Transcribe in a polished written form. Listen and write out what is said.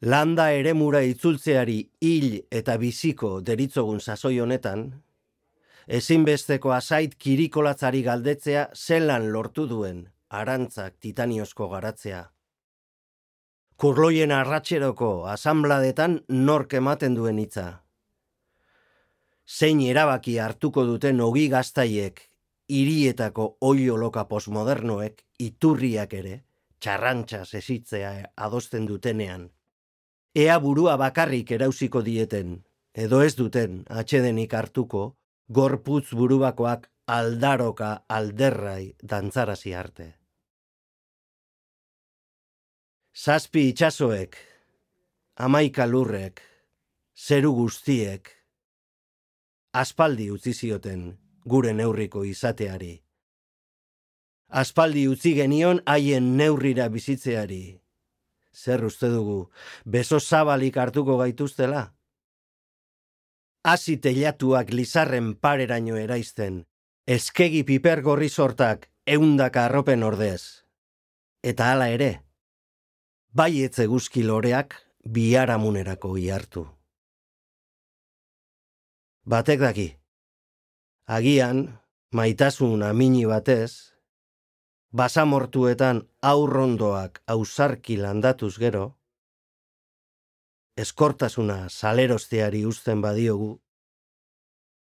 Landa eremura itzultzeari hil eta biziko deritzogun sasoi honetan, ezinbesteko azait kirikolatzari galdetzea zelan lortu duen arantzak titaniozko garatzea. Kurloien arratxeroko asanbladetan nork ematen duen hitza. Zein erabaki hartuko duten ogi gaztaiek, hirietako oioloka postmodernoek, iturriak ere, txarrantxas esitzea adosten dutenean. Ea burua bakarrik erauziko dieten, edo ez duten atsedenik hartuko, gorputz burubakoak aldaroka alderrai dantzarazi arte. 7 itsasoek, 11 lurrek, zeru guztiek, aspaldi utzi zioten gure neurriko izateari. Aspaldi utzi genion haien neurrira bizitzeari. Zer uste dugu, beso zabalik hartuko gaituztela? Hasi teilatuak lizarren pareraino eraizten, eskegi piper gorri sortak 100 arropen ordez. Eta hala ere, baietz eguzki loreak biharamunerako ihartu. Batek daki, agian, maitasun amini batez, basamortuetan aurrondoak ausarki landatuz gero, eskortasuna salerosteari uzten badiogu,